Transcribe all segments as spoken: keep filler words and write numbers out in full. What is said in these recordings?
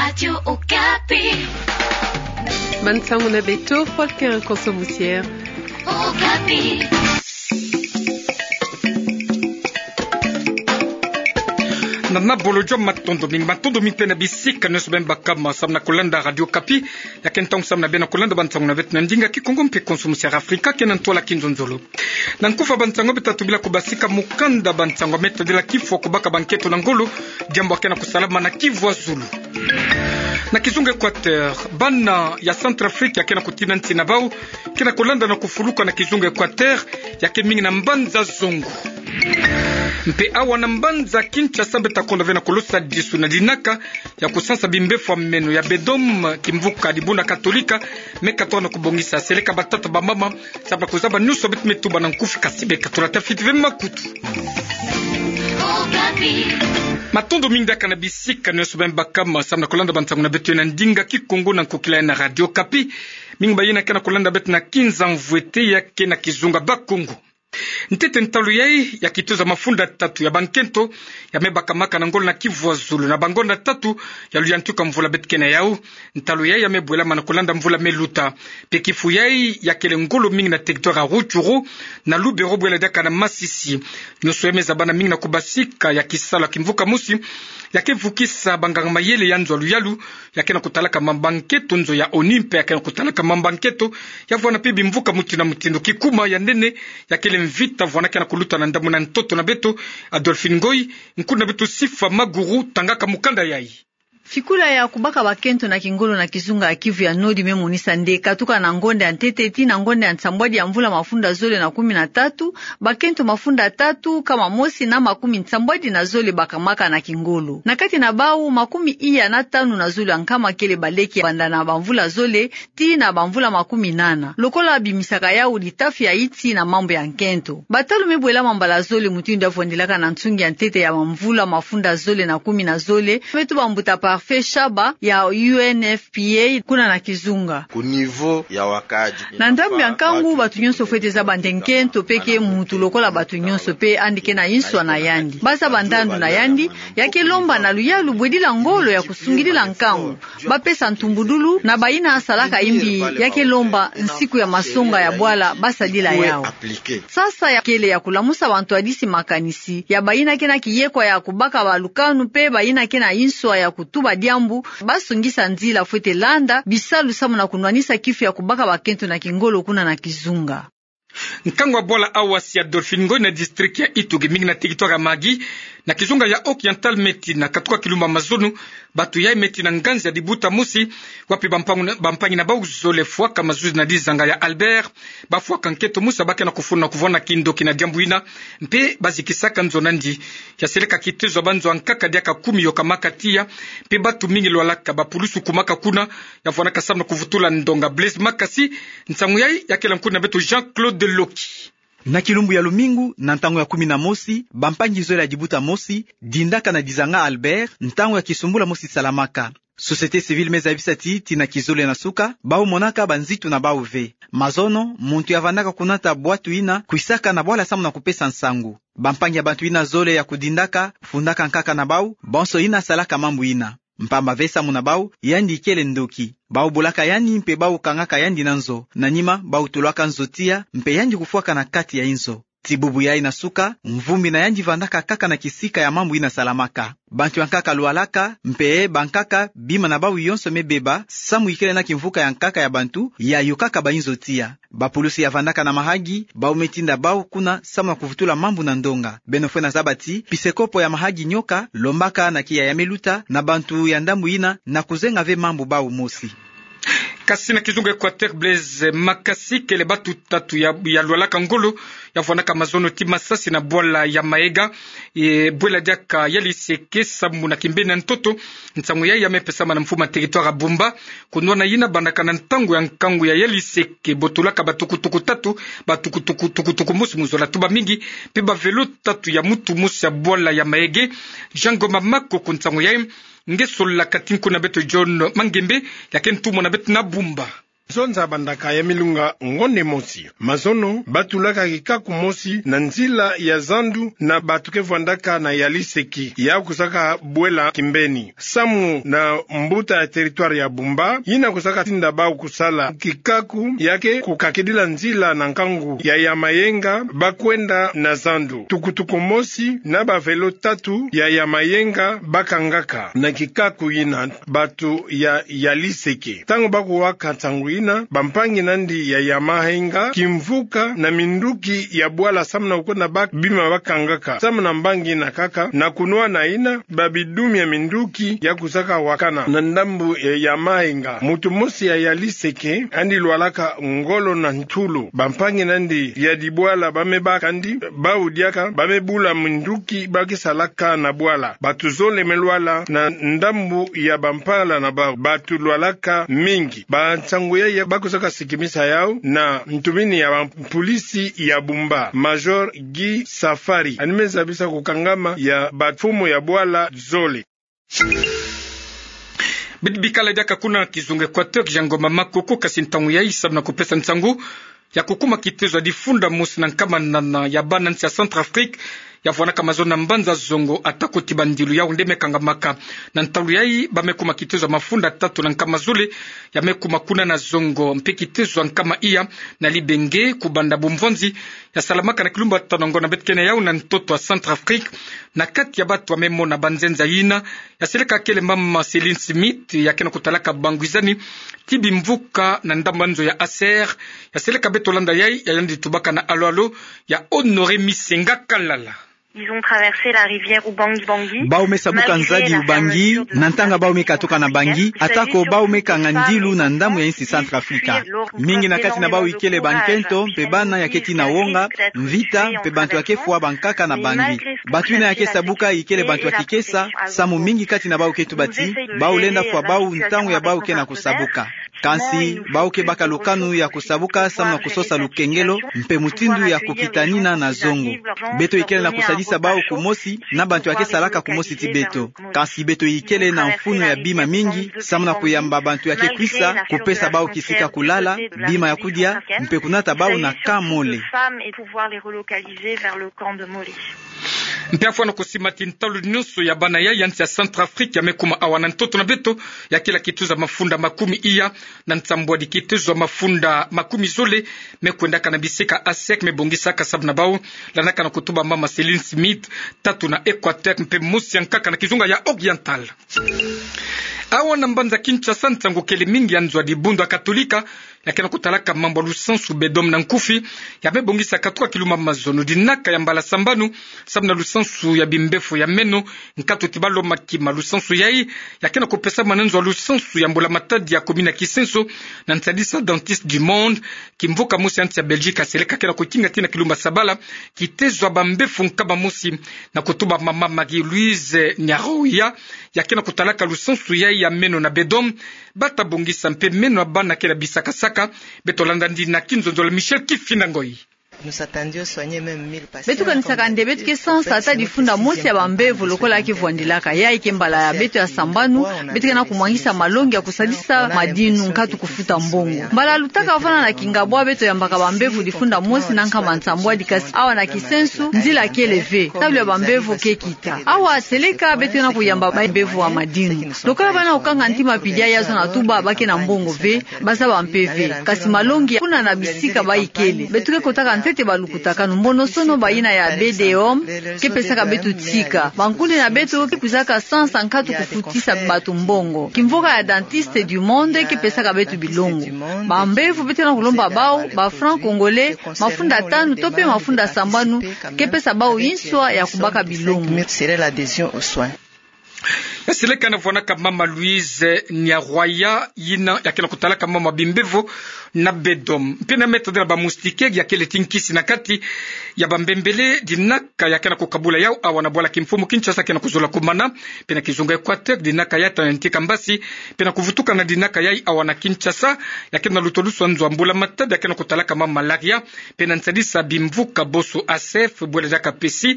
Radio Okapi. Bansango na beto, Volker Konso Musiere. Okapi. Na, na bolojo, matondo mingi, matondo mingi mpe na bisika nyonso beno baka ma samu na kolanda Radio Okapi. Ya ke ntangu samu na beno kolanda bansango na beto na ndinga Kikongo mpe Konso Musiere Afrika, ke na ntwala kinzonzolo. Na nkufi ya bansango beto tatu bila kubasika mukanda bansango me tadila kifwa kubaka bankento na ngolo, diambu ya ke na kusalama na Kivu ya Zulu. Na kizunga Equateur, bana ya Centrafrique ya ke na kutina nsi na bau, ke na kulanda na kufuluka na kizunga Equateur, ya ke mingi na mbanza zongo. Mpe awa na mbanza Kinshasa beto ta konda ve na kulosa disu na dinaka ya kusansa bimbefwa meno ya BEDOM, kimvuka dibuna Katolika, me katoka na kubongisa seleka batata bamama, samu na kuzaba nyonso beto me tuba na nkufi, kasi beka tulata fiti ve makutu. Matondo mingi diaka na bisika nyonso beno baka ma samu na kolanda bansango na beto na ndinga Kikongo na nkokila ya na Radio Okapi. Mingi bayina ke na kolanda beto na Kinzamvwete ya ke na kizunga Bakongo. Ntete ntalu yai ya kitoza mafunda tatu ya bankento ya me bakamaka na ngolo na Kivu ya Zulu na bangonda tatu ya luyantika mvula beto ke na yau. Ntalu yai ya me bwelama na kulanda mvula me luta. Mpe kifu yai ya kele ngolo mingi na territoire ya Rutshuru, na Lubero bwela diaka na Masisi. Nyonso ya me zabana mingi na kubasika ya kisalu ya kimvuka mosi ya ke vukisa banganga mayele ya nzo ya luyalu, ya ke na kutalaka mambu ya nkento, nzo ya ONU mpe ya ke na kutalaka mambu ya nkento, ya vwanda mpe bimvuka mutindu na mutindu. Kikuma ya nene ya kele mvita vwanda ke na kuluta na ndambu na ntoto na beto. Adolphine Ngoy, nkuna beto Sifa Maguru tangaka mukanda yai. Fikula ya kubaka bakento na kingolo na kizunga ya Kivu ya Nord me monisa nde katuka na ngonda ya ntete tii na ngonda ya nsambwadi ya mvula mafunda zole na kumi na tatu, bakento mafunda tatu, nkama mosi na makumi nsambwadi na zole bakamaka na kingolo. Na kati na bau, makumi iya na tanu na zole ya nkama kele baleke banda na bamvula zole tii na bamvula makumi nana. Lokola bimisaka yau litafi ya insi na mambu ya nkento. Batalu me bwelama mbala zole mutindu ya vwandilaka na nsungi ya ntete ya bamvula mafunda zole na kumi na zole, me tuba mbuta Parfait Shaba ya U N F P A kuna na kizunga. Ku niveau ya wakaaji. Na ndambu ya nkangu, bato nyonso fwete zaba nde nkento mpe ke muntu lokola bato nyonso mpe yandi ke na inswa na yandi. Bazaba ndandu na yandi, ya ke lomba na luyalu bwedila ngolo ya kusungidila nkangu. Bapesa ntumbudulu na bayina salaka imbi, ya ke lomba nsiku ya masonga ya bwala basadila yau. Sasa ya kele ya kulamusa bantu hadisi makanisi ya bayina ke na kiyekwa ya kubaka balukanu mpe bayina ke na inswa ya kutuba diambu, basungisa nzila fwete landa bisalu samu na kunwanisa kifu ya kubaka bakento na kingolo kuna na kizunga. Nkangu ya bwala Awasi ya Adolphine Ngoy na district ya Ituri, mingi na territoire ya Mahagi, na kizunga ya Oriental, me tina katuka kilumbu ya mazono, bato yai me tina nganzi ya dibuta mosi, wapi bampangu na, bampangi na bau zole fwaka mazuzi na dizanga ya Albert, bafwaka nkento mosi ya ba ke na kufuna kuvwanda kindoki na diambu yina, mpe bazikisaka nzo na ndi. Ya seleka kitezo ya banzo ya nkaka diaka kumi yo kamaka tiya, mpe bato mingi lwalaka, bapulusu kumaka kuna, ya vwandaka samu na kuvutula ndonga. Blaise Makasi, nsangu yai ya kele nkuna beto Jean-Claude Loki. Na kilumbu ya lumingu, na ntangu ya kumi na mosi, bampangi zole ya dibuta mosi dindaka na dizanga Albert, ntangu ya kisumbula mosi salamaka. Société civile me zabisa ti, tina kizole na suka, bau monaka banzitu na bau ve. Mazono, muntu ya vandaka kunata bwatu yina kwisaka na bwala samu na kupesa nsangu. Bampangi ya bantu yina zole ya kudindaka, fundaka nkaka na bau, bonso yina salaka mambu yina. Mpamba ve samu na bau, yandi kele ndoki. Bau bulaka yandi mpe bau kangaka yandi na nzo. Na nima, bau tulwaka nzo tiya, mpe yandi kufwaka na kati ya inzo. Ti bubu yai na suka, mvumbi na yandi vandaka kaka na kisika ya mambu yina salamaka. Bantu ya nkaka lwalaka, mpe bankaka bima na bau yonso me beba, samu ikele na kimvuka ya nkaka ya bantu, ya yokaka bainzo tiya. Bapulusu ya vandaka na Mahagi, bau me tinda bau kuna samu na kuvutula mambu na ndonga. Beno fwete zaba ti, pisekopo ya Mahagi nyoka lombaka na kiya ya me luta na bantu ya ndambu yina na kuzenga ve mambu bau mosi. Kasi na kizunga Equateur, Blaise Makasi kele batu tatu ya, ya lwalaka ngolo, ya vwandaka mazono ti masasi na bwala ya Maega, e, bwela diaka ya Liseke samu na kimbeni ya ntoto. Nsangu yai ya me pesama na mfumu ya territoire ya Bumba, kunwana yina bandaka na ntangu ya nkangu ya, ya Liseke, botolaka batukutuku tatu, batukutuku, tukutuku mosi mu zola tuba mingi, mpe bavelo tatu ya mutu mosi ya bwala ya Maega. Jean Ngoma Makoko, nsangu yai nge solaka ti nkuna beto John Mangembe, ya ke ntumwa na beto na Bumba. Zonza bandaka ya milunga ngonde mosi. Mazono, batulaka kikaku mosi na nzila ya zandu na bato ke vwandaka na Yaliseke, ya kusaka bwela kimbeni. Samu na mbuta ya territoire ya Bumba, yina kusaka tinda bau kusala kikaku ya ke kukakidila nzila na nkangu ya Yamayenga, bakwenda na zandu. Tukutuku mosi na ba vélo tatu ya Yamayenga bakangaka na kikaku yina. Bato ya Yaliseke, ntango bakuwaka nsangu yina, bampangi nandi ya Yamayenga, kimvuka na minduki ya bwala samu na kukwenda baka bima bakangaka. Samu na mbangi yina kaka, na kunwana yina, ba bidumi ya minduki ya kusaka wakana na ndambu ya Yamayenga. Moto mosi ya Yaliseke, andi lwalaka ngolo na ntulu. Bampangi nandi ya dibwala bame baka andi, bau diaka, bame bula minduki ba ke salaka na bwala. Bato zole me lwala na ndambu ya bampala na bau. Bato lwalaka mingi. Ba nsangu yayi bakusaka sikimisa yau na ntumini ya bampolisi ya Bumba, Major Guy Safari. Yandi me zabisa kukangama ya bamfumu ya bwala zole. Bidi bikala diaka kuna kizunga Equateur, kiza ngoma makoko, kasi ntangu yayi samu na kupesa nsangu ya kukuma kitezo ya difunda mosi na nkama nana ya bana nsi ya Centrafrique ya vwanaka mazono na mbanza zongo, atako ti bandilu yau nde me kangamaka. Na ntalu yayi, ba me kuma kitezo ya mafunda tatu na nkama zole ya me kuma kuna na zongo, mpe kitezo ya nkama iya na libenge kubanda bumvonzi ya salamaka na kilumbu tano ngo na beto kena yau na ntoto ya Centrafrique. Na kati ya bato ba me mona banzenza yina, ya seleka kele mama Céline Smith, ya ke na kutalaka bangwizani ti bimvuka na ndambu ya nzo ya Acer. Ya seleka beto landa yayi, ya yandi tubaka na alo-alo ya Honoré Misenga Kalala. Ils ont traversé la rivière Ubangi-Bangi. Bau me sabuka nzadi Ubangi, na ntanga bau me katuka na Bangi, atako bau me kanga ndilu na ndambu ya insi Centrafrique. Mingi na kati na bau ikele bankento, mpe bana ya keti na wonga, mvita, mpe bantu ya ke fwa bankaka na Bangi. Bato yina ya ke sabuka ikele bantu ya kikesa, samu mingi kati na bau ke tuba ti bau lenda fwa bau ntangu ya bau ke na kusabuka. Kansi, bau ke baka lukanu ya kusabuka samu na kusosa lukengelo, mpe mutindu ya kukitanina na zongo. Beto ikele na kusadisa bau kumosi na bantu ya ke salaka kumosi ti beto. Kansi beto ikele na mfunu ya bima mingi, samu na kuyamba bantu ya ke kwisa, kupesa bau kisika kulala, bima ya kudia, mpe kunata bau na camp Mole. Mpe afwana kusima ti ntalu nyonso ya bana ya nsi ya Centrafrique ya me kuma awa na ntoto na beto, ya kila kitezo ya mafunda makumi iya na nsambwadi kitezo ya mafunda makumi zole me kwendaka na bisika Acer me bongisaka samu na bau landaka na kutuba mama Céline Smith, tatu na Equateur mpe mosi ya nkaka na kizunga ya Oriental. Awa na mbanza Kinshasa, nsangu kele mingi ya nzo ya dibundu ya Katolika ya ke na kutalaka mambu ya lusansu Beud'Homme na nkufi, ya me bongisa katuka kilumbu ya mazono dinaka ya mbala sambanu, samu na lusansu ya bimbevo ya meno, nkatu ti balo makima. Lusansu yayi ya ke na kupesama na nzo ya lusansu ya mbula matadi ya commune ya Kisenso, na nsadisa Dentistes du Monde, kimvuka mosi ya nsi ya Belgique, aseleka ke na kukinga tii na kilumbu ya sabala kitezo ya bambevo nkama mosi, na kutuba mama Marie-Louise Niaroya, ya ke na kutalaka lusansu yayi ya meno na Beud'Homme, bata bongisa mpe meno ya bana ke na bisakasaka. Beto landa ndina kinzonzolo Michel Kifinda Ngoyi. Beto kanisaka nde beto ke sansa ata difunda mosi ya bambevo lokola ya ke vwandilaka. Yayi ke mbala ya beto ya sambanu, beto ke na kumwangisa malongi ya kusadisa madinu, nkatu kufuta mbongo. Mbala lutaka vwanda na kingabwa beto yambaka bambevo difunda mosi na nkama nsambwadi, kasi awa na Kisenso, nzila kele ve, talu ya bambevo ke kita. Awa seleka beto ke na kuyamba bambevo ya madinu. Lokola bana kukanga ntima pili ya zona tuba ba ke na mbongo ve, bazaba mpe ve. Kasi malongi kuna na bisika ba ikele. Beto ke kotaka ntete balukutakanu. Mbonosono bayina ya Beud'Homme ke pesaka beto tika. Bankundi na beto ke kwizaka sansa nkatu kufutisa bato mbongo. Kimvuka ya Dentistes du Monde ke pesaka beto bilongo. Bambevo beto ke na kulomba bau, ba francs congolais, mafunda tanu to mpe mafunda sambanu, ke pesa bau inswa ya kubaka bilongo. Ya seleka na vwanaka mama Louise Niarwaya, yina ya ke na kutalaka mama bimbevo na bedo. Mpe na metadila ba moustiquaire ya kele ti nkisi na kati ya ba mbembele dinaka ya ke na kukabula yau awa na bwala kimfumu Kinshasa ke na kuzola kumana, mpe na kizunga Equateur dinaka ya tana ntika mbasi, mpe na kuvutuka na dinaka yai awa na Kinshasa, ya ke na lutoluswa nzo a mbula matadi ya ke na kutalaka ma malaria, mpe na nsadisa bimvuka boso A C F bwela diaka pesi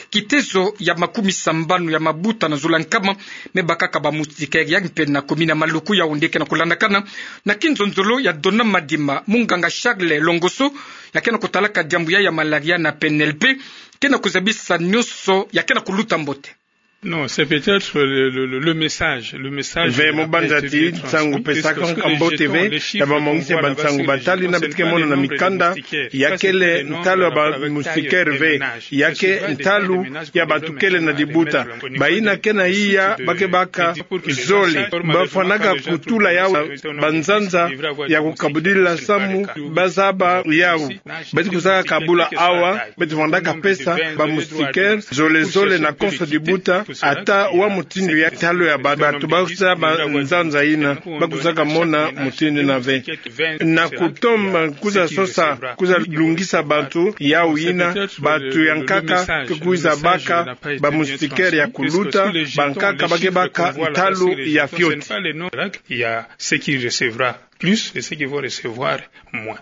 kitezo ya makumi sambanu ya mabuta na zula nkama me bakaka ba moustiquaire ya mpe na commune ya Maluku ya onde ke na kulandakana na kinzonzolo ya Dona Madima, munganga Charles Longoso, ya ke na kutalaka diambu ya ya malaria na P N L P, ke na kuzabisa nyonso ya ke na kuluta mbote. Non, c'est peut-être le, le, le, le message, le message. Ve mo banza ti nsangu pesaka nka mbote ve, ya ba mongisi ya ba nsangu batali na beto ke mona na mikanda, ya kele ntalu ya ba moustiquaire ve, ya ke ntalu ya bantu kele na dibuta. Bayina ke na iya ba ke baka zole, ba fwanaka kutula yau ba nzanza ya kukabudila samu ba zaba yau. Beto kuzaka kabula awa, beto fwanaka pesa ba moustiquaire zole zole na konso dibuta, ata wa mutindu ya ntalu ya ba, bantu ba kuzaba nzanza yina, ba kuzaka mona mutindu yina ve. Na kutoma kuzasosa, kuzalungisa bantu yau yina, bantu ya nkaka ke kwiza baka ba moustiquaire ya kuluta, bankaka ba ke baka ntalu ya fioti. Il y a ceux qui recevra plus et ceux qui vont recevoir moins.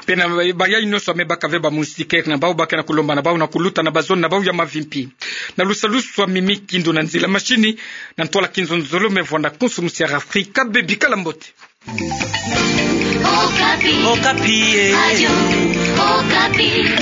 Mpe na bayai nyonso ya me baka ve ba moustiquaire na bau, ba ke na kulomba na bau na kuluta na ba zone na bau ya mavimpi. Na lusalusu a Mimi Kindu na nzila machine, na ntwala kinzonzolo me vwanda konso musiara Afrika, bebikala mbote. Okapi. Okapi, eh. Radio Okapi.